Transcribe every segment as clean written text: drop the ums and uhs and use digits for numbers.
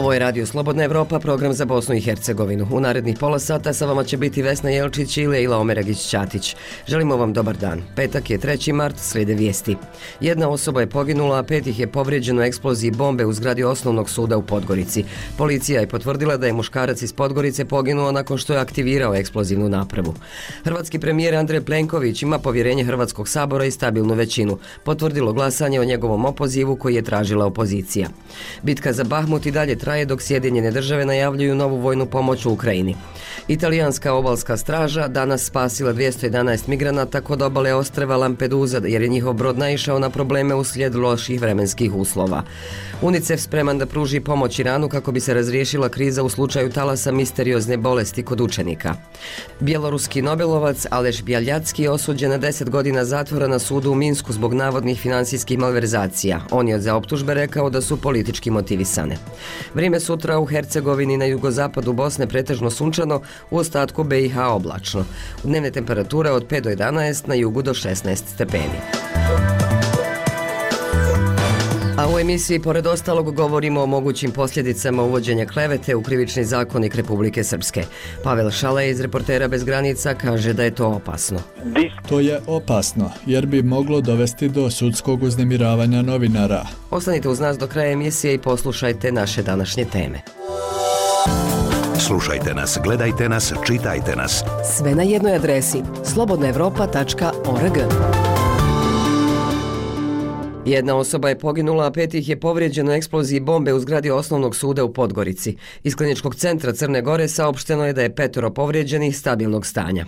Ovo je Radio Slobodna Evropa, program za Bosnu i Hercegovinu. U narednih pola sata sa vama će biti Vesna Jelčić i Lejla Omeragić-Ćatić. Želimo vam dobar dan. Petak je 3. mart, slijede vijesti. Jedna osoba je poginula, a 5 ih je povrijeđeno u eksploziji bombe u zgradi Osnovnog suda u Podgorici. Policija je potvrdila da je muškarac iz Podgorice poginuo nakon što je aktivirao eksplozivnu napravu. Hrvatski premijer Andrej Plenković ima povjerenje Hrvatskog sabora i stabilnu većinu. Potvrdilo glasanje o njegovom opozivu koji je tražila opozicija. Bitka za Bahmut i dalje traje dok Sjedinjene države najavljuju novu vojnu pomoć u Ukrajini. Italijanska obalska straža danas spasila 211 migranata kod obale ostrva Lampedusa jer je njihov brod naišao na probleme uslijed loših vremenskih uslova. UNICEF spreman da pruži pomoć Iranu kako bi se razriješila kriza u slučaju talasa misteriozne bolesti kod učenika. Bjeloruski nobelovac Aleš Bjaljacki je osuđen na 10 godina zatvora na sudu u Minsku zbog navodnih financijskih malverzacija. On je za optužbe rekao da su politički motivisane. Vrijeme sutra u Hercegovini na jugozapadu Bosne pretežno sunčano, u ostatku BiH oblačno. Dnevne temperature od 5 do 11, na jugu do 16 stepeni. A u emisiji pored ostalog govorimo o mogućim posljedicama uvođenja klevete u krivični zakonik Republike Srpske. Pavel Šalej iz Reportera bez granica kaže da je to opasno. To je opasno jer bi moglo dovesti do sudskog uznemiravanja novinara. Ostanite uz nas do kraja emisije i poslušajte naše današnje teme. Slušajte nas, gledajte nas, čitajte nas. Sve na jednoj adresi slobodnaevropa.org. Jedna osoba je poginula, a 5 ih je povrijeđeno u eksploziji bombe u zgradi Osnovnog suda u Podgorici. Iz Kliničkog centra Crne Gore saopšteno je da je 5 povrijeđenih stabilnog stanja.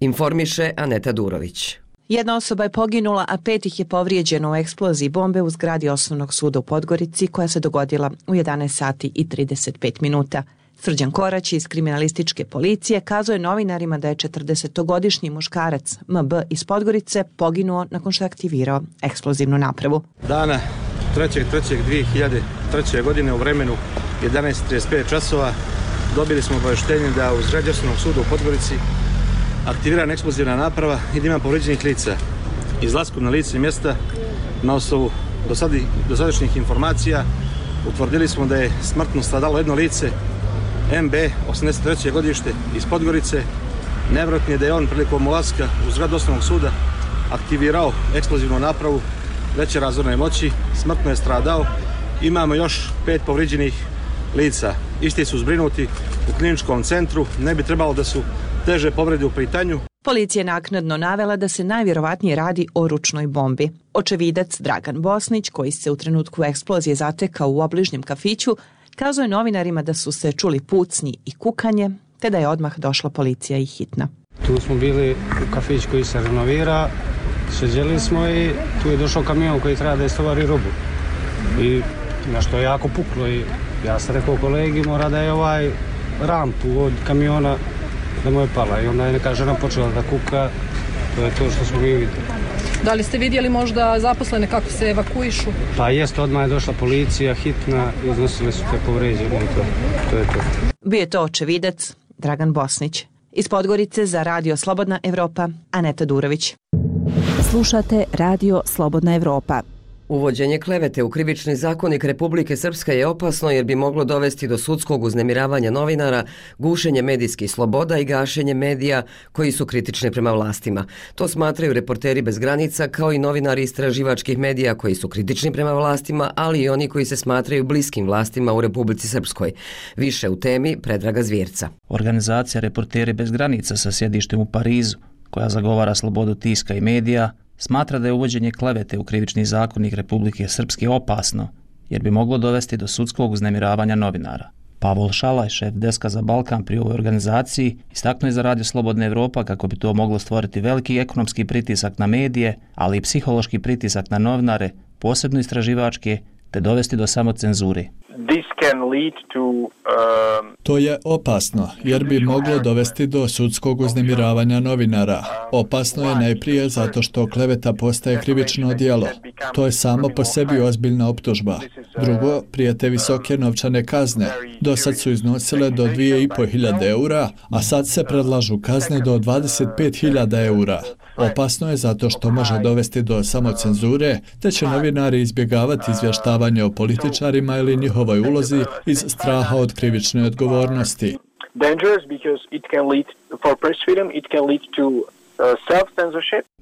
Informiše Aneta Durović. Jedna osoba je poginula, a 5 ih je povrijeđeno u eksploziji bombe u zgradi Osnovnog suda u Podgorici koja se dogodila u 11 sati i 35 minuta. Srđan Korać iz kriminalističke policije kazao je novinarima da je 40-godišnji muškarac MB iz Podgorice poginuo nakon što je aktivirao eksplozivnu napravu. Dana 3.3.2003. godine u vremenu 11.35 časova dobili smo obavještenje da u zgradi Osnovnog suda u Podgorici aktivirana eksplozivna naprava i da ima povrijeđenih lica. Izlaskom na lice mjesta na osnovu dosadašnjih informacija utvrdili smo da je smrtno stradalo jedno lice MB, 83. godište iz Podgorice. Nevjerojatno je da je on prilikom ulaska u zgradu Osnovnog suda aktivirao eksplozivnu napravu veće razorne moći, smrtno je stradao. Imamo još 5 povrijeđenih lica. Isti su zbrinuti u kliničkom centru, ne bi trebalo da su teže povrede u pitanju. Policija je naknadno navela da se najvjerovatnije radi o ručnoj bombi. Očevidac Dragan Bosnić, koji se u trenutku eksplozije zatekao u obližnjem kafiću, kazao je novinarima da su se čuli pucnji i kukanje, te da je odmah došla policija i hitna. Tu smo bili u kafić koji se renovira, sjeđeli smo i tu je došao kamion koji treba da istovari robu. I nešto je jako puklo i ja sam rekao kolegi mora da je rampu od kamiona da mu je pala i onda je neka žena počela da kuka, to je to što smo mi vidjeli. Da li ste vidjeli možda zaposlene kako se evakuišu? Pa jest, odmah je došla policija, hitna, iznosili su te povređene i to je to. Bio je to očevidac Dragan Bosnić. Iz Podgorice za Radio Slobodna Evropa, Aneta Durović. Slušate Radio Slobodna Evropa. Uvođenje klevete u krivični zakonik Republike Srpske je opasno jer bi moglo dovesti do sudskog uznemiravanja novinara, gušenje medijskih sloboda i gašenje medija koji su kritični prema vlastima. To smatraju Reporteri bez granica kao i novinari istraživačkih medija koji su kritični prema vlastima, ali i oni koji se smatraju bliskim vlastima u Republici Srpskoj. Više u temi Predraga Zvjerca. Organizacija Reporteri bez granica sa sjedištem u Parizu, koja zagovara slobodu tiska i medija, smatra da je uvođenje klevete u krivični zakonik Republike Srpske opasno, jer bi moglo dovesti do sudskog uznemiravanja novinara. Pavel Šalaj, šef deska za Balkan pri ovoj organizaciji, istaknuo je za Radio Slobodna Evropa kako bi to moglo stvoriti veliki ekonomski pritisak na medije, ali i psihološki pritisak na novinare, posebno istraživačke, te dovesti do samocenzure. To je opasno, jer bi moglo dovesti do sudskog uznemiravanja novinara. Opasno je najprije zato što kleveta postaje krivično djelo. To je samo po sebi ozbiljna optužba. Drugo, prijete visoke novčane kazne. Dosad su iznosile do 2.500 eura, a sad se predlažu kazne do 25.000 eura. Opasno je zato što može dovesti do samocenzure, te će novinari izbjegavati izvještavanje o političarima ili njihovim njihovoj ulozi iz straha od krivične odgovornosti.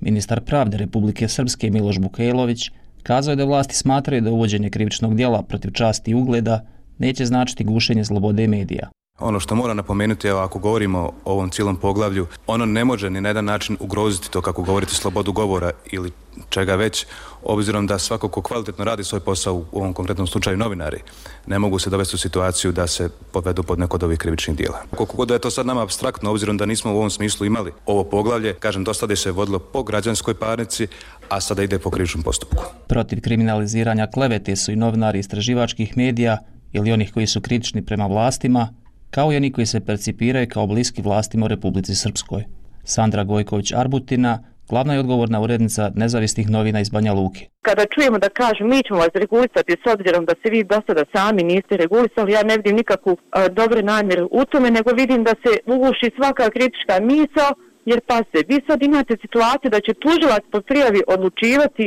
Ministar pravde Republike Srpske Miloš Bukajlović kazao je da vlasti smatraju da uvođenje krivičnog djela protiv časti i ugleda neće značiti gušenje slobode medija. Ono što moram napomenuti, evo, ako govorimo o ovom cijelom poglavlju, ono ne može ni na jedan način ugroziti to, kako govorite, slobodu govora ili čega već, obzirom da svako ko kvalitetno radi svoj posao, u ovom konkretnom slučaju novinari, ne mogu se dovesti u situaciju da se podvedu pod neko od ovih krivičnih djela. Koliko god da je to sad nama apstraktno, obzirom da nismo u ovom smislu imali ovo poglavlje, kažem, do sada se vodilo po građanskoj parnici, a sada ide po krivičnom postupku. Protiv kriminaliziranja klevete su i novinari istraživačkih medija ili onih koji su kritični prema vlastima, kao i oni koji se percipiraju kao bliski vlastima u Republici Srpskoj. Sandra Gojković-Arbutina, glavna je odgovorna urednica nezavisnih novina iz Banja Luke. Kada čujemo da kažu mi ćemo vas regulisati s obzirom da se vi do sada sami niste regulisali, ja ne vidim nikakvu dobre namjeru u tome, nego vidim da se uguši svaka kritička misao, jer pa se, vi sad imate situaciju da će tužilac po prijavi odlučivati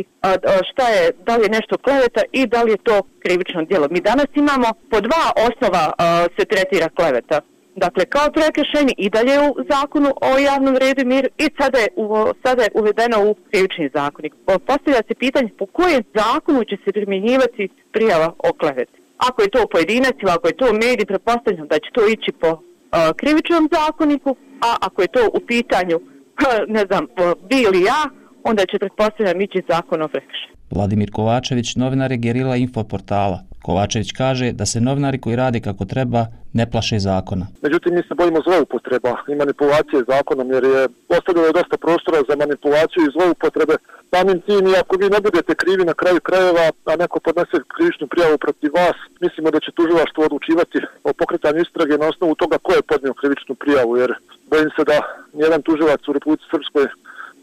šta je, da li je nešto kleveta i da li je to krivično djelo. Mi danas imamo po dva osnova se tretira kleveta. Dakle, kao prekršajni i dalje u zakonu o javnom redu i miru i sada je uvedeno u krivični zakonik. Postavlja se pitanje po kojem zakonu će se primjenjivati prijava o kleveti. Ako je to pojedinac ili ako je to medij, pretpostavljam da će to ići po krivičnom zakoniku, a ako je to u pitanju, ne znam, vi ili ja, onda će pretpostavljam ići zakon o prekršaju. Vladimir Kovačević, novinar je Gerila Info portala. Kovačević kaže da se novinari koji rade kako treba ne plaše zakona. Međutim, mi se bojimo zloupotreba i manipulacije zakonom, jer je ostavljeno dosta prostora za manipulaciju i zloupotrebe. Samim tim, i ako vi ne budete krivi na kraju krajeva, a neko podnese krivičnu prijavu protiv vas, mislimo da će tužilaštvo odlučivati o pokretanju istrage na osnovu toga ko je podnio krivičnu prijavu, jer bojim se da nijedan tužilac u Republici Srpskoj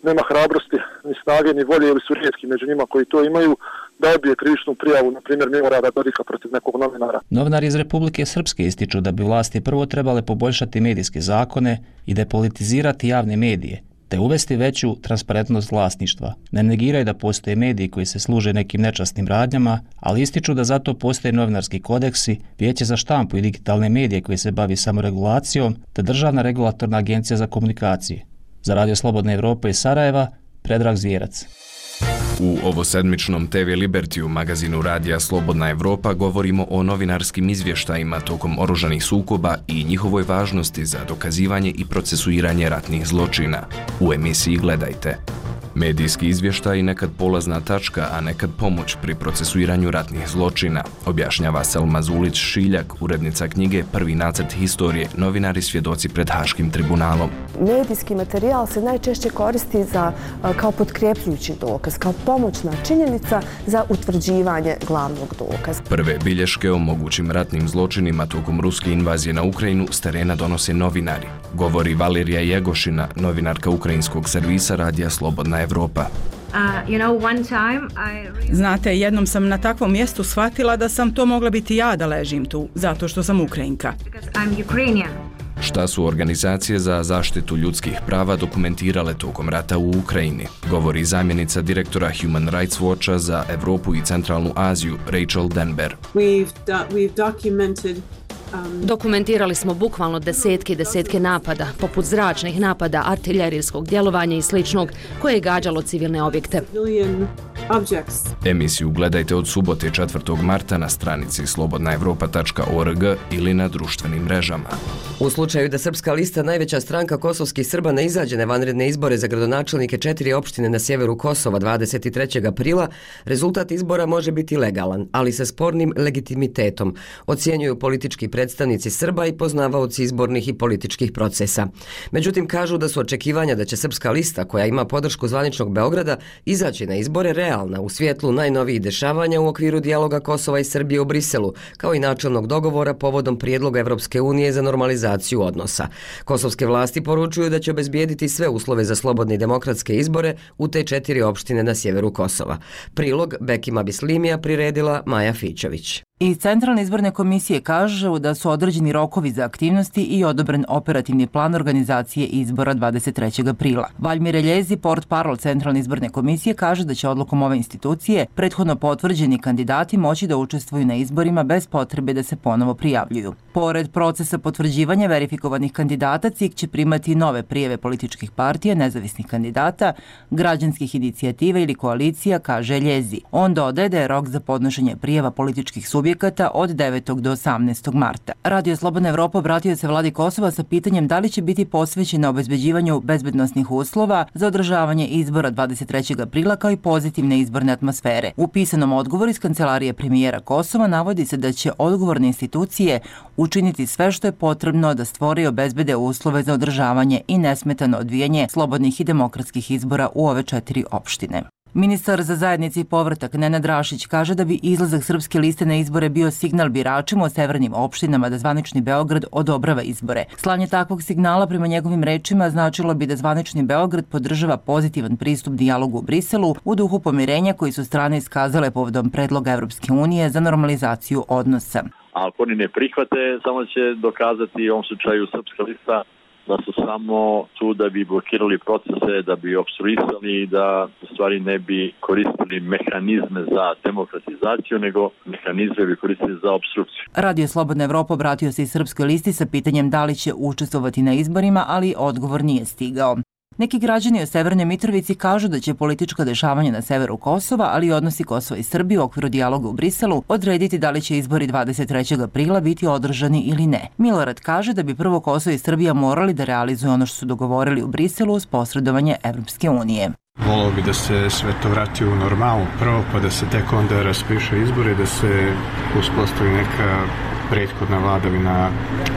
nema hrabrosti, ni snage, ni volje, ili su rijetki među njima koji to imaju, da odbije krivičnu prijavu, na primjer Milorada Dodika protiv nekog novinara. Novinari iz Republike Srpske ističu da bi vlasti prvo trebale poboljšati medijske zakone i depolitizirati javne medije, te uvesti veću transparentnost vlasništva. Ne negiraju da postoje mediji koji se služe nekim nečasnim radnjama, ali ističu da zato postoje novinarski kodeksi, Vijeće za štampu i digitalne medije koji se bavi samoregulacijom, te Državna regulatorna agencija za komunikacije. Za Radio Slobodne Evrope iz Sarajeva, Predrag Zvjerac. U ovosedmičnom TV Liberty-u, magazinu Radija Slobodna Evropa, govorimo o novinarskim izvještajima tokom oružanih sukoba i njihovoj važnosti za dokazivanje i procesuiranje ratnih zločina. U emisiji Gledajte. Medijski izvještaj nekad polazna tačka, a nekad pomoć pri procesuiranju ratnih zločina, objašnjava Selma Zulić-Šiljak, urednica knjige Prvi nacrt historije, novinari svjedoci pred Haškim tribunalom. Medijski materijal se najčešće koristi kao potkrepljujući dokaz, kao pomoćna činjenica za utvrđivanje glavnog dokaza. Prve bilješke o mogućim ratnim zločinima tokom ruske invazije na Ukrajinu s terena donose novinari. Govori Valerija Jegošina, novinarka ukrajinskog servisa Radija Slobodna Evropa. Znate, jednom sam na takvom mjestu shvatila da sam to mogla biti ja da ležim tu, zato što sam Ukrajinka. Šta su organizacije za zaštitu ljudskih prava dokumentirale tokom rata u Ukrajini, govori zamjenica direktora Human Rights Watcha za Evropu i Centralnu Aziju, Rachel Denber. Dokumentirali smo bukvalno desetke napada, poput zračnih napada, artiljerijskog djelovanja i sličnog, koje je gađalo civilne objekte. Emisiju gledajte od subote 4. marta na stranici slobodnaevropa.org ili na društvenim mrežama. U slučaju da Srpska lista, najveća stranka kosovskih Srba, ne izađe na vanredne izbore za gradonačelnike 4 opštine na sjeveru Kosova 23. aprila, rezultat izbora može biti legalan, ali sa spornim legitimitetom, ocjenjuju politički predstavnici Srba i poznavaoci izbornih i političkih procesa. Međutim, kažu da su očekivanja da će Srpska lista, koja ima podršku zvaničnog Beograda, izaći na izbore realna u svjetlu najnovijih dešavanja u okviru dijaloga Kosova i Srbije u Briselu, kao i načelnog dogovora povodom prijedloga Evropske unije za normalizaciju odnosa. Kosovske vlasti poručuju da će obezbijediti sve uslove za slobodne i demokratske izbore u te 4 opštine na sjeveru Kosova. Prilog Bekima Bislimija priredila Maja Fićović. Iz Centralne izborne komisije kažu da su određeni rokovi za aktivnosti i odobren operativni plan organizacije izbora 23. aprila. Valjmir Eljezi, portparol Centralne izborne komisije, kaže da će odlukom ove institucije prethodno potvrđeni kandidati moći da učestvuju na izborima bez potrebe da se ponovo prijavljuju. Pored procesa potvrđivanja verifikovanih kandidata, CIK će primati nove prijeve političkih partija, nezavisnih kandidata, građanskih inicijativa ili koalicija, kaže Eljezi. On dodaje da je rok za podnošenje prijeva političkih subjekata od 9. do 18. marta. Radio Slobodna Evropa obratio se vladi Kosova sa pitanjem da li će biti posvećena obezbeđivanju bezbednosnih uslova za održavanje izbora 23. aprila kao i pozitivne izborne atmosfere. U pisanom odgovoru iz kancelarije premijera Kosova navodi se da će odgovorne institucije učiniti sve što je potrebno da stvore i obezbede uslove za održavanje i nesmetano odvijanje slobodnih i demokratskih izbora u ove 4 opštine. Ministar za zajednici i povratak Nenad Rašić kaže da bi izlazak Srpske liste na izbore bio signal biračima u severnim opštinama da zvanični Beograd odobrava izbore. Slanje takvog signala prema njegovim rečima značilo bi da zvanični Beograd podržava pozitivan pristup dijalogu u Briselu u duhu pomirenja koji su strane iskazale povodom predloga Evropske unije za normalizaciju odnosa. Ako oni ne prihvate, samo će dokazati u ovom slučaju Srpska lista da su samo tu da bi blokirali procese, da bi opstruisali i da u stvari ne bi koristili mehanizme za demokratizaciju, nego mehanizme bi koristili za opstrukciju. Radio Slobodna Evropa obratio se i Srpskoj listi sa pitanjem da li će učestvovati na izborima, ali odgovor nije stigao. Neki građani u Severnoj Mitrovici kažu da će politička dešavanja na severu Kosova, ali i odnosi Kosova i Srbije u okviru dijaloga u Briselu odrediti da li će izbori 23. aprila biti održani ili ne. Milorad kaže da bi prvo Kosovo i Srbija morali da realizuju ono što su dogovorili u Briselu uz posredovanje Evropske unije. Volao bi da se sve to vrati u normalu prvo, pa da se tek onda raspiše izbori, da se uspostavi neka prethodna vladavina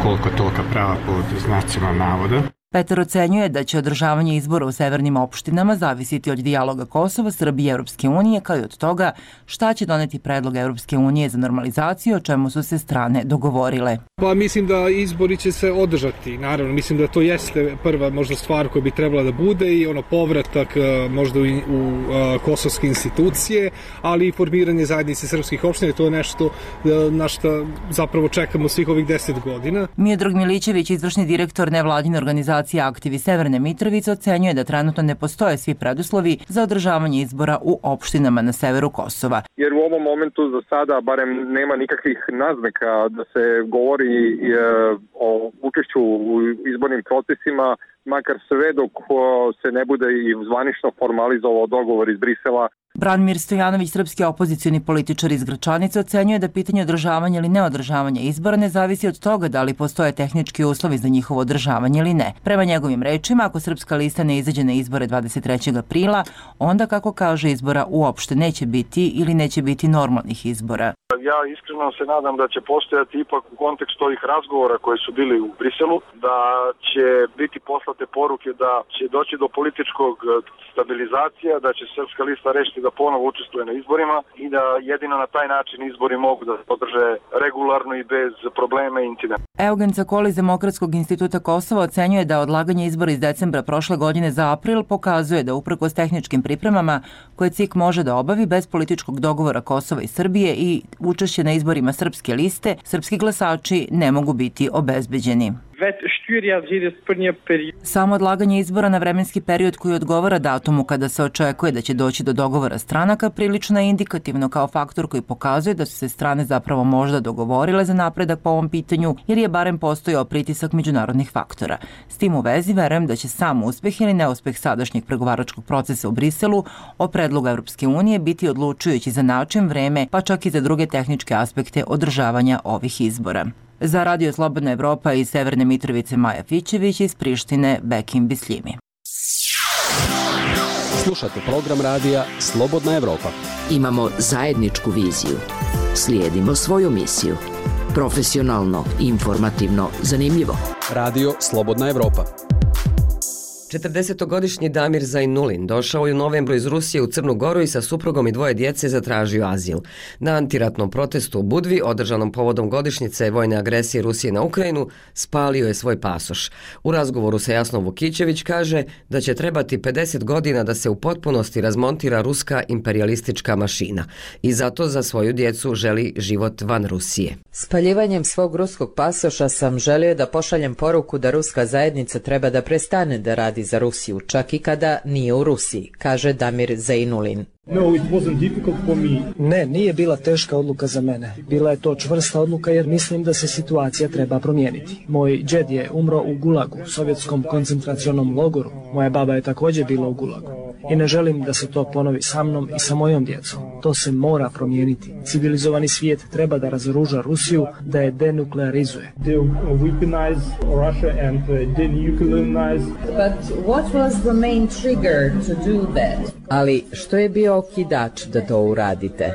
koliko tolika prava pod znacima navoda. Petar ocenjuje da će održavanje izbora u severnim opštinama zavisiti od dijaloga Kosova, Srbije i Evropske unije, kao i od toga šta će doneti predlog Evropske unije za normalizaciju, o čemu su se strane dogovorile. Pa mislim da izbori će se održati, naravno. Mislim da to jeste prva možda stvar koja bi trebala da bude i povratak možda u kosovske institucije, ali i formiranje zajednice srpskih opština. To je nešto na što zapravo čekamo svih ovih 10 godina. Miodrag Milićević, izvršni direktor nevladine organizacije Aktivi Severne Mitrovice, ocenjuje da trenutno ne postoje svi preduslovi za održavanje izbora u opštinama na severu Kosova. Jer u ovom momentu za sada barem nema nikakvih naznaka da se govori o učešću u izbornim procesima, makar sve dok se ne bude i zvanično formalizovao dogovor iz Brisela. Branimir Stojanović, srpski opozicioni političar iz Gračanice, ocenjuje da pitanje održavanja ili neodržavanja izbora ne zavisi od toga da li postoje tehnički uslovi za njihovo održavanje ili ne. Prema njegovim rečima, ako Srpska lista ne izađe na izbore 23. aprila, onda, kako kaže, izbora uopšte neće biti ili neće biti normalnih izbora. Ja iskreno se nadam da će postojati ipak u kontekstu ovih razgovora koji su bili u Briselu, da će biti poslate poruke da će doći do političkog stabilizacija, da će Srpska lista rešiti da ponovo učestvuje na izborima i da jedino na taj način izbori mogu da se održe regularno i bez problema i incidenta. Eugen Cakoli iz Demokratskog instituta Kosova ocenjuje da odlaganje izbora iz decembra prošle godine za april pokazuje da uprkos tehničkim pripremama koje CIK može da obavi bez političkog dogovora Kosova i Srbije i učešće na izborima Srpske liste, srpski glasači ne mogu biti obezbeđeni. Samo odlaganje izbora na vremenski period koji odgovara datumu kada se očekuje da će doći do dogovora stranaka prilično je indikativno kao faktor koji pokazuje da su se strane zapravo možda dogovorile za napredak po ovom pitanju, jer je barem postojao pritisak međunarodnih faktora. S tim u vezi verujem da će sam uspeh ili neuspeh sadašnjeg pregovaračkog procesa u Briselu o predlogu Evropske unije biti odlučujući za način, vreme, pa čak i za druge tehničke aspekte održavanja ovih izbora. Za Radio Slobodna Evropa iz Severne Mitrovice Maja Fićević, iz Prištine Bekim Bisljimi. Slušate program radija Slobodna Evropa. Imamo zajedničku viziju. Slijedimo svoju misiju. Profesionalno, informativno, zanimljivo. Radio Slobodna Evropa. 40-godišnji Damir Zainulin došao je u novembru iz Rusije u Crnu Goru i sa suprugom i 2 djece zatražio azil. Na antiratnom protestu u Budvi, održanom povodom godišnjice vojne agresije Rusije na Ukrajinu, spalio je svoj pasoš. U razgovoru sa Jasnom Vukićević kaže da će trebati 50 godina da se u potpunosti razmontira ruska imperijalistička mašina i zato za svoju djecu želi život van Rusije. Spaljivanjem svog ruskog pasoša sam želio da pošaljem poruku da ruska zajednica treba da prestane da radi za Rusiju, čak i kada nije u Rusiji, kaže Damir Zainulin. Ne, nije bila teška odluka za mene. Bila je to čvrsta odluka jer mislim da se situacija treba promijeniti. Moj džed je umro u Gulagu, sovjetskom koncentracionom logoru. Moja baba je također bila u Gulagu. I ne želim da se to ponovi sa mnom i sa mojom djecom. To se mora promijeniti. Civilizovani svijet treba da razoruža Rusiju, da je denuklearizuje. Ali što je bio okidač da to uradite?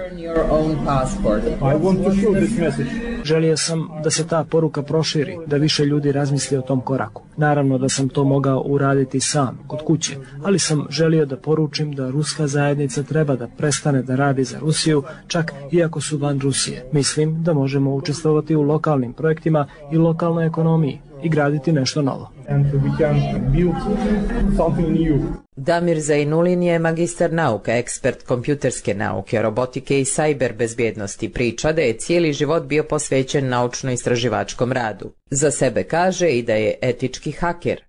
Želio sam da se ta poruka proširi, da više ljudi razmisli o tom koraku. Naravno da sam to mogao uraditi sam, kod kuće, ali sam želio da poručim da ruska zajednica treba da prestane da radi za Rusiju, čak iako su van Rusije. Mislim da možemo učestvovati u lokalnim projektima i lokalnoj ekonomiji i graditi nešto novo. Damir Zainulin je magistar nauka, ekspert kompjuterske nauke, robotike i sajber bezbjednosti. Priča da je cijeli život bio posvećen naučno-istraživačkom radu. Za sebe kaže i da je etički haker.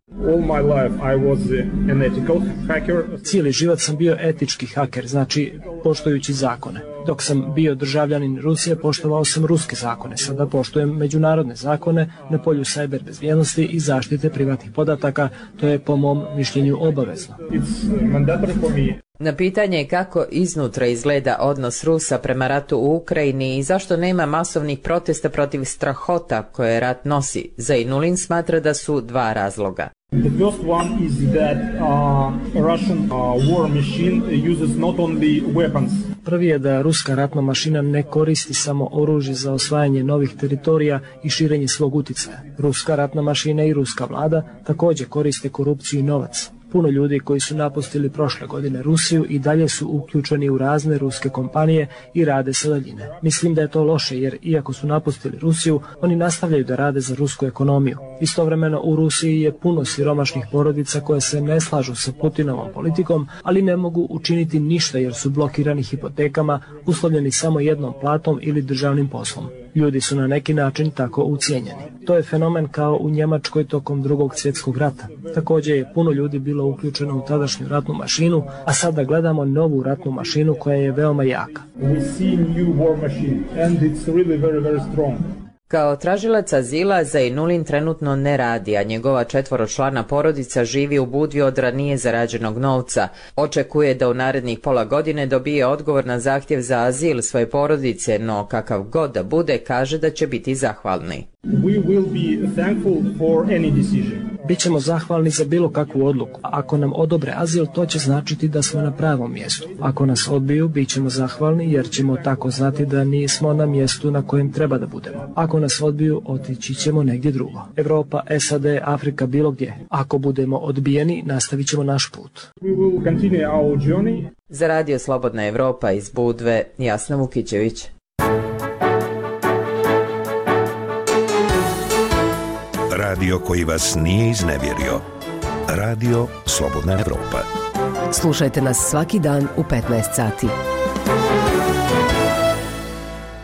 Cijeli život sam bio etički haker, znači poštujući zakone. Dok sam bio državljanin Rusije, poštovao sam ruske zakone. Sada poštujem međunarodne zakone na polju sajber bezbjednosti i zaštite privatnih podataka. To je po mom mišljenju obavezno. Na pitanje kako iznutra izgleda odnos Rusa prema ratu u Ukrajini i zašto nema masovnih protesta protiv strahota koje rat nosi, Zainulin smatra da su 2 razloga. The first one is that Russian war machine uses not only weapons. Prvi je da ruska ratna mašina ne koristi samo oružje za osvajanje novih teritorija i širenje svog utjecaja. Ruska ratna mašina i ruska vlada također koriste korupciju i novac. Puno ljudi koji su napustili prošle godine Rusiju i dalje su uključeni u razne ruske kompanije i rade sa daljine. Mislim da je to loše jer iako su napustili Rusiju, oni nastavljaju da rade za rusku ekonomiju. Istovremeno u Rusiji je puno siromašnih porodica koje se ne slažu sa Putinovom politikom, ali ne mogu učiniti ništa jer su blokirani hipotekama, uslovljeni samo jednom platom ili državnim poslom. Ljudi su na neki način tako ucijenjeni. To je fenomen kao u Njemačkoj tokom Drugog svjetskog rata. Također je puno ljudi bilo uključeno u tadašnju ratnu mašinu, a sada gledamo novu ratnu mašinu koja je veoma jaka. Kao tražilac azila Zainulin trenutno ne radi, a njegova 4-člana porodica živi u Budvi od ranije zarađenog novca. Očekuje da u narednih pola godine dobije odgovor na zahtjev za azil svoje porodice, no kakav god da bude, kaže da će biti zahvalni. Bićemo zahvalni za bilo kakvu odluku. Ako nam odobre azil, to će značiti da smo na pravom mjestu. Ako nas odbiju, bićemo zahvalni jer ćemo tako znati da nismo na mjestu na kojem treba da budemo. Ako nas odbiju, otići ćemo negdje drugo. Evropa, SAD, Afrika, bilo gdje. Ako budemo odbijeni, nastavit ćemo naš put. Za Radio Slobodna Evropa iz Budve, Jasna Vukićević. Radio koji vas nije iznevjerio. Radio Slobodna Evropa. Slušajte nas svaki dan u 15 sati.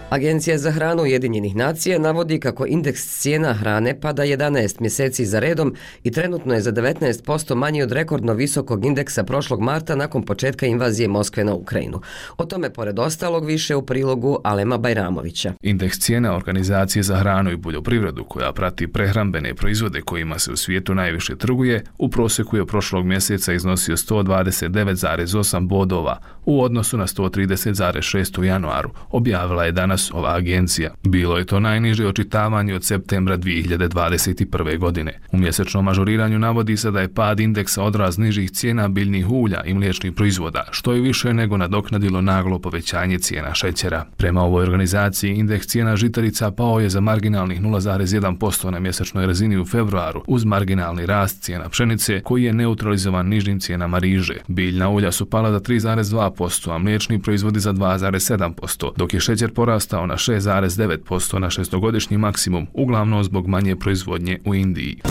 Agencija za hranu Ujedinjenih nacija navodi kako indeks cijena hrane pada 11 mjeseci za redom i trenutno je za 19% manji od rekordno visokog indeksa prošlog marta nakon početka invazije Moskve na Ukrajinu. O tome pored ostalog više u prilogu Alema Bajramovića. Indeks cijena Organizacije za hranu i poljoprivredu, koja prati prehrambene proizvode kojima se u svijetu najviše trguje, u prosjeku je prošlog mjeseca iznosio 129,8 bodova u odnosu na 130,6 u januaru, objavila je danas Reuters, ova agencija. Bilo je to najniže očitavanje od septembra 2021. godine. U mjesečnom ažuriranju navodi se da je pad indeksa odraz nižih cijena biljnih ulja i mliječnih proizvoda, što je više nego nadoknadilo naglo povećanje cijena šećera. Prema ovoj organizaciji, indeks cijena žitarica pao je za marginalnih 0,1% na mjesečnoj razini u februaru, uz marginalni rast cijena pšenice koji je neutralizovan nižim cijenama riže. Biljna ulja su pala za 3,2%, a mliječni proizvodi za 2,7%, dok je šećer porastao na 6,9% na šestogodišnji maksimum, uglavnom zbog manje proizvodnje u Indiji.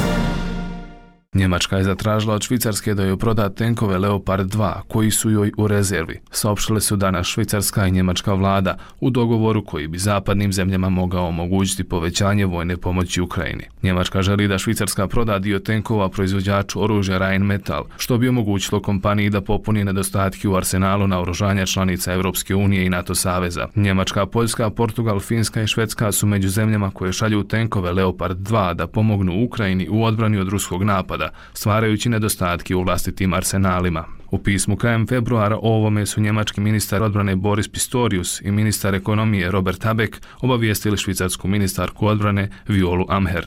Njemačka je zatražila od Švicarske da joj proda tenkove Leopard 2 koji su joj u rezervi. Saopštile su danas švicarska i njemačka vlada u dogovoru koji bi zapadnim zemljama mogao omogućiti povećanje vojne pomoći Ukrajini. Njemačka želi da Švicarska proda dio tenkova proizvođaču oružja Rheinmetall, što bi omogućilo kompaniji da popuni nedostatke u arsenalu naoružanja članica Europske unije i NATO saveza. Njemačka, Poljska, Portugal, Finska i Švedska su među zemljama koje šalju tenkove Leopard 2 da pomognu Ukrajini u odbrani od ruskog napada, stvarajući nedostatke u vlastitim arsenalima. U pismu krajem februara o ovome su njemački ministar odbrane Boris Pistorius i ministar ekonomije Robert Habeck obavijestili švicarsku ministarku odbrane Violu Amherd.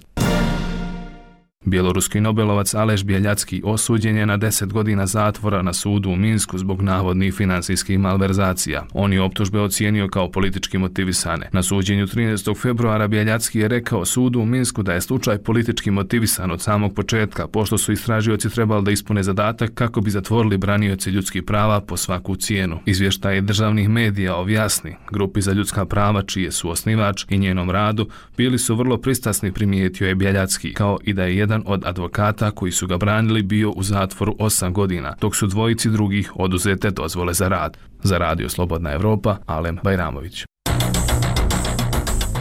Bjeloruski nobelovac Aleš Bjeljacki osuđen je na 10 godina zatvora na sudu u Minsku zbog navodnih financijskih malverzacija. On je optužbe ocijenio kao politički motivisane. Na suđenju 13. februara Bjeljacki je rekao sudu u Minsku da je slučaj politički motivisan od samog početka, pošto su istražioci trebali da ispune zadatak kako bi zatvorili branioci ljudskih prava po svaku cijenu. Izvještaje državnih medija o Vjasni, grupi za ljudska prava čije su osnivač, i njenom radu bili su vrlo pristrasni, primijetio je Bjeljacki, kao i da je jedan od advokata koji su ga branili bio u zatvoru 8 godina, dok su dvojici drugih oduzete dozvole za rad. Za Radio Slobodna Evropa, Alem Bajramović.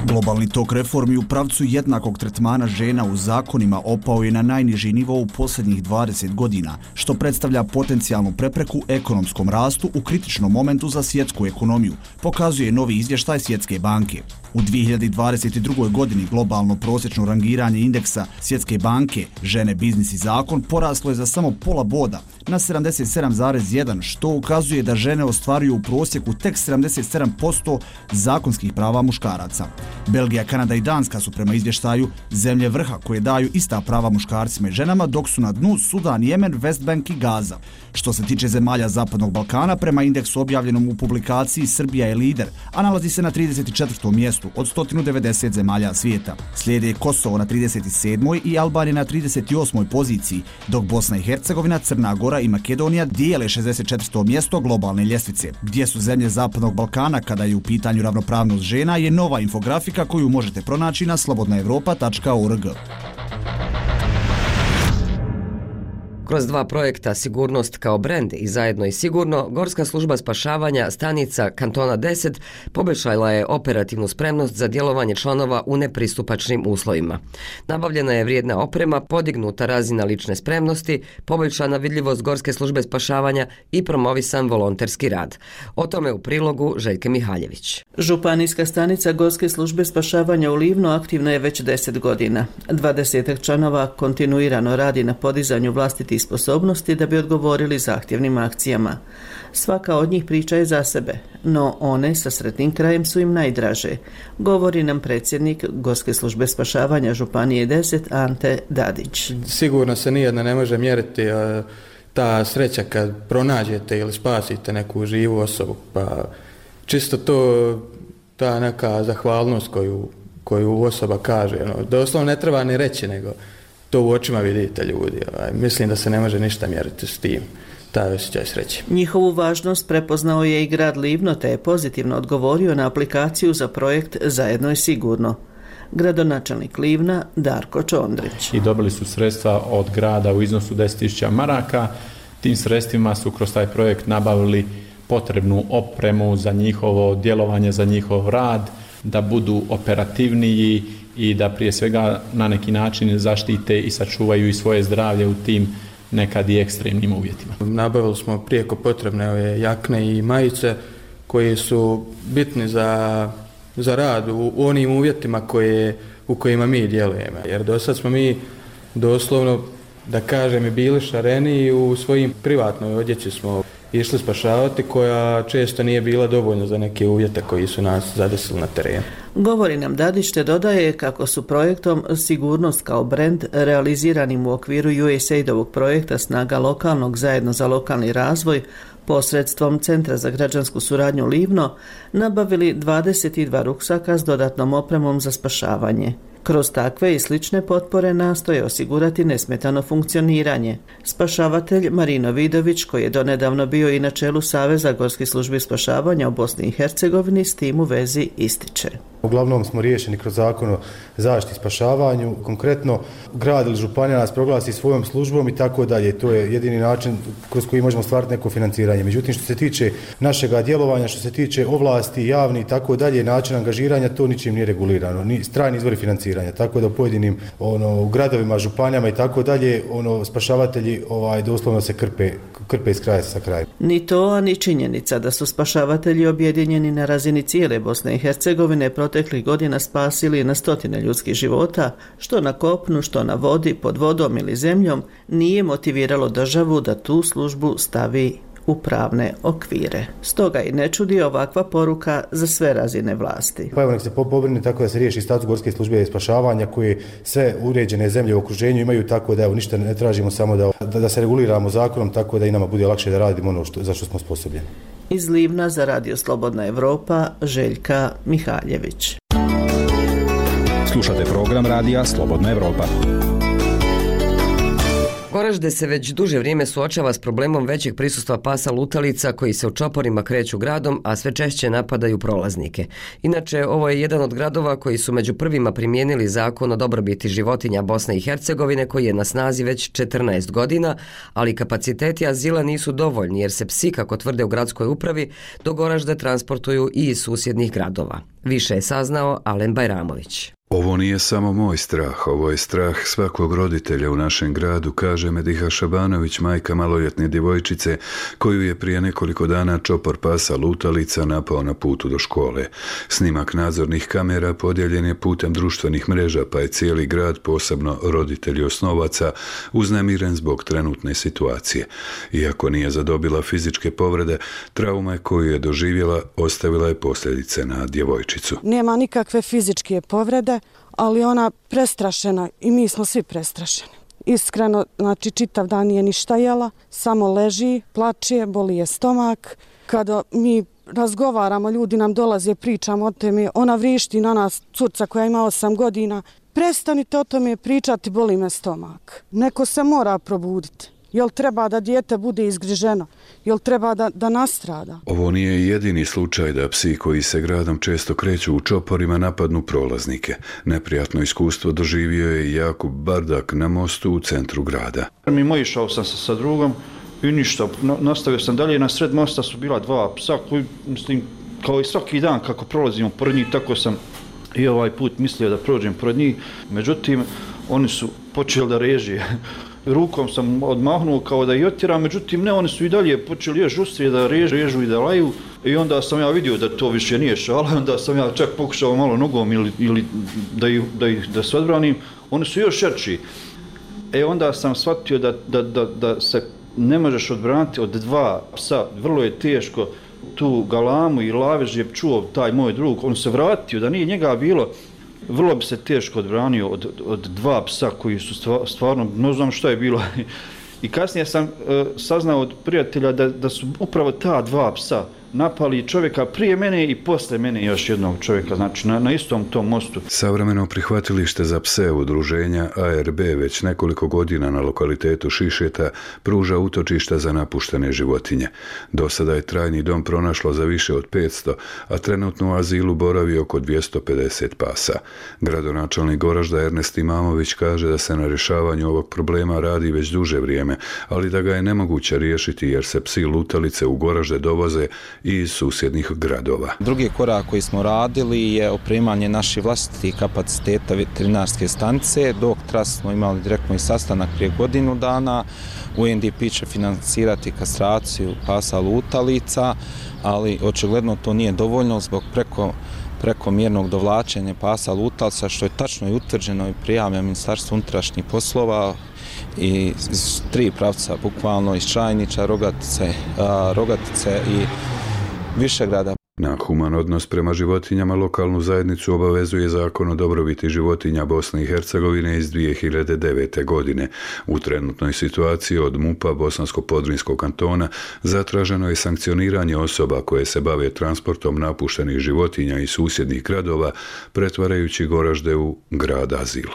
Globalni tok reformi u pravcu jednakog tretmana žena u zakonima opao je na najniži nivo u posljednjih 20 godina, što predstavlja potencijalnu prepreku ekonomskom rastu u kritičnom momentu za svjetsku ekonomiju, pokazuje novi izvještaj Svjetske banke. U 2022. godini globalno prosječno rangiranje indeksa Svjetske banke žene, biznis i zakon poraslo je za samo pola boda na 77,1, što ukazuje da žene ostvaruju u prosjeku tek 77% zakonskih prava muškaraca. Belgija, Kanada i Danska su prema izvještaju zemlje vrha koje daju ista prava muškarcima i ženama, dok su na dnu Sudan, Jemen, Westbank i Gaza. Što se tiče zemalja Zapadnog Balkana, prema indeksu objavljenom u publikaciji Srbija je lider, a nalazi se na 34. mjestu od 190 zemalja svijeta. Slijede Kosovo na 37. i Albanija na 38. poziciji, dok Bosna i Hercegovina, Crna Gora i Makedonija dijele 64. mjesto globalne ljestvice. Gdje su zemlje Zapadnog Balkana kada je u pitanju ravnopravnost žena je nova infografika koju možete pronaći na slobodnaevropa.org. Kroz dva projekta Sigurnost kao brend i Zajedno i sigurno, Gorska služba spašavanja stanica Kantona 10 poboljšala je operativnu spremnost za djelovanje članova u nepristupačnim uslovima. Nabavljena je vrijedna oprema, podignuta razina lične spremnosti, poboljšana vidljivost Gorske službe spašavanja i promovisan volonterski rad. O tome u prilogu Željke Mihaljević. Županijska stanica Gorske službe spašavanja u Livnu aktivna je već 10 godina. 20 članova kontinuirano radi na podizanju vlastitih sposobnosti da bi odgovorili zahtjevnim akcijama. Svaka od njih priča je za sebe, no one sa sretnim krajem su im najdraže, govori nam predsjednik Gorske službe spašavanja Županije 10 Ante Dadić. Sigurno se nijedna ne može mjeriti ta sreća kad pronađete ili spasite neku živu osobu, pa čisto to, ta neka zahvalnost koju osoba kaže, doslovno ne treba ni reći, nego to u očima vidite ljudi. Mislim da se ne može ništa mjeriti s tim, taj osjećaj sreće. Njihovu važnost prepoznao je i grad Livno, te je pozitivno odgovorio na aplikaciju za projekt Zajedno i sigurno. Gradonačelnik Livna Darko Čondrić. I dobili su sredstva od grada u iznosu 10.000 maraka. Tim sredstvima su kroz taj projekt nabavili potrebnu opremu za njihovo djelovanje, za njihov rad, da budu operativniji i da prije svega na neki način zaštite i sačuvaju i svoje zdravlje u tim nekad i ekstremnim uvjetima. Nabavili smo prijeko potrebne ove jakne i majice koje su bitni za rad u onim uvjetima u kojima mi djelujemo. Jer do sad smo mi doslovno, da kažem, bili šareni u svojim privatnoj odjeći smo išli spašavati, koja često nije bila dovoljna za neke uvjete koji su nas zadesili na terenu. Govori nam Dadić, te dodaje kako su projektom Sigurnost kao brend realiziranim u okviru USAID-ovog projekta Snaga lokalnog zajedno za lokalni razvoj posredstvom Centra za građansku suradnju Livno nabavili 22 ruksaka s dodatnom opremom za spašavanje. Kroz takve i slične potpore nastoje osigurati nesmetano funkcioniranje. Spašavatelj Marino Vidović, koji je donedavno bio i na čelu Saveza gorskih službi spašavanja u Bosni i Hercegovini, s tim u vezi ističe. Uglavnom smo riješeni kroz zakon o zaštiti i spašavanju. Konkretno, grad ili županija nas proglasi svojom službom i tako dalje. To je jedini način kroz koji možemo stvariti neko financiranje. Međutim, što se tiče našega djelovanja, što se tiče ovlasti, javni i tako dalje, način angažiranja, to ničim nije regulirano. Ni strani izvori financiranja. Tako da u pojedinim gradovima, županijama i tako dalje, spašavatelji doslovno se krpe iz kraja sa krajem. Ni to, a ni činjenica da su spašavatelji objedinjeni na razini cijele Bosne i Hercegovine proteklih godina spasili na stotine ljudskih života, što na kopnu, što na vodi, pod vodom ili zemljom, nije motiviralo državu da tu službu stavi u pravne okvire. Stoga i ne čudi ovakva poruka za sve razine vlasti. Pa evo nek se pobrine tako da se riješi status gorske službe spašavanja koje sve uređene zemlje u okruženju imaju, tako da evo ništa ne tražimo, samo da se reguliramo zakonom tako da i nama bude lakše da radimo ono za što smo sposobljeni. Iz Livna za Radio Slobodna Evropa, Željka Mihaljević. Slušate program Radija Slobodna Evropa. Goražde se već duže vrijeme suočava s problemom većeg prisustva pasa lutalica koji se u čoporima kreću gradom, a sve češće napadaju prolaznike. Inače, ovo je jedan od gradova koji su među prvima primijenili zakon o dobrobiti životinja Bosne i Hercegovine koji je na snazi već 14 godina, ali kapaciteti azila nisu dovoljni jer se psi, kako tvrde u gradskoj upravi, do Goražde transportuju i iz susjednih gradova. Više je saznao Alen Bajramović. Ovo nije samo moj strah, ovo je strah svakog roditelja u našem gradu, kaže Mediha Šabanović, majka maloljetne djevojčice koju je prije nekoliko dana čopor pasa lutalica napao na putu do škole. Snimak nadzornih kamera podijeljen je putem društvenih mreža, pa je cijeli grad, posebno roditelji osnovaca, uznemiren zbog trenutne situacije. Iako nije zadobila fizičke povrede, trauma koju je doživjela ostavila je posljedice na djevojčicu. Nema nikakve fizičke povrede, ali ona prestrašena i mi smo svi prestrašeni. Iskreno, znači čitav dan nije ništa jela, samo leži, plače, boli je stomak. Kada mi razgovaramo, ljudi nam dolaze, pričamo o tome, ona vrišti na nas, curca koja ima 8 godina. Prestanite o tome pričati, boli me stomak. Neko se mora probuditi. Jel treba da dijete bude izgriženo? Jel treba da nastrada? Ovo nije jedini slučaj da psi koji se gradom često kreću u čoporima napadnu prolaznike. Neprijatno iskustvo doživio je Jakub Bardak na mostu u centru grada. Išao sam sa drugom i ništa, nastavio sam dalje. Na sred mosta su bila 2 psa koji, mislim, kao i svaki dan kako prolazimo pored njih, tako sam i ovaj put mislio da prođem pored njih. Međutim, oni su počeli da reže. Rukom sam odmahnuo kao da ih otjeram, međutim ne, oni su i dalje počeli još žustrije da režu i da laju i onda sam ja vidio da to više nije šala, onda sam ja čak pokušao malo nogom ili da se odbranim, oni su još šerči. Onda sam shvatio da se ne možeš odbraniti od 2 psa, vrlo je teško tu galamu i lavež je čuo taj moj drug, on se vratio, da nije njega bilo, vrlo bi se teško odbranio od 2 psa koji su stvarno, ne znam šta je bilo. I kasnije sam saznao od prijatelja da su upravo ta 2 psa napali čovjeka prije mene i posle mene još jednog čovjeka, znači na istom tom mostu. Savremeno prihvatilište za pse udruženja ARB već nekoliko godina na lokalitetu Šišeta pruža utočišta za napuštene životinje. Do sada je trajni dom pronašlo za više od 500, a trenutno u azilu boravi oko 250 pasa. Gradonačelnik Goražda Ernest Imamović kaže da se na rješavanju ovog problema radi već duže vrijeme, ali da ga je nemoguće riješiti jer se psi lutalice u Goražde dovoze i iz susjednih gradova. Drugi korak koji smo radili je opremanje naših vlastitih kapaciteta veterinarske stanice. Dok tras smo imali direktno i sastanak prije godinu dana. UNDP će financirati kastraciju pasa lutalica, ali očigledno to nije dovoljno zbog preko prekomjernog dovlačenja pasa lutalca, što je tačno i utvrđeno i prijavljeno Ministarstvu unutrašnjih poslova i iz 3 pravca, bukvalno iz Čajnića, Rogatice i Višegrada. Na human odnos prema životinjama lokalnu zajednicu obavezuje Zakon o dobrobiti životinja Bosne i Hercegovine iz 2009. godine. U trenutnoj situaciji od MUP-a Bosansko-Podrinskog kantona zatraženo je sankcioniranje osoba koje se bave transportom napuštenih životinja iz susjednih gradova, pretvarajući Goražde u grad azil.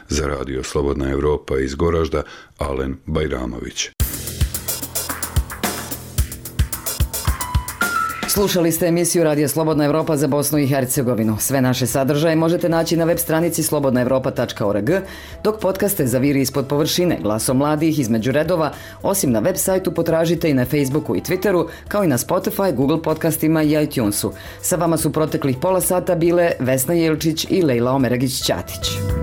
Za Radio Slobodna Evropa iz Goražda, Alen Bajramović. Slušali ste emisiju Radija Slobodna Evropa za Bosnu i Hercegovinu. Sve naše sadržaje možete naći na web stranici slobodnaevropa.org, dok podcaste Zaviri ispod površine, Glasom mladih između redova, osim na web sajtu potražite i na Facebooku i Twitteru, kao i na Spotify, Google podcastima i iTunesu. Sa vama su proteklih pola sata bile Vesna Jelčić i Lejla Omeragić-Ćatić.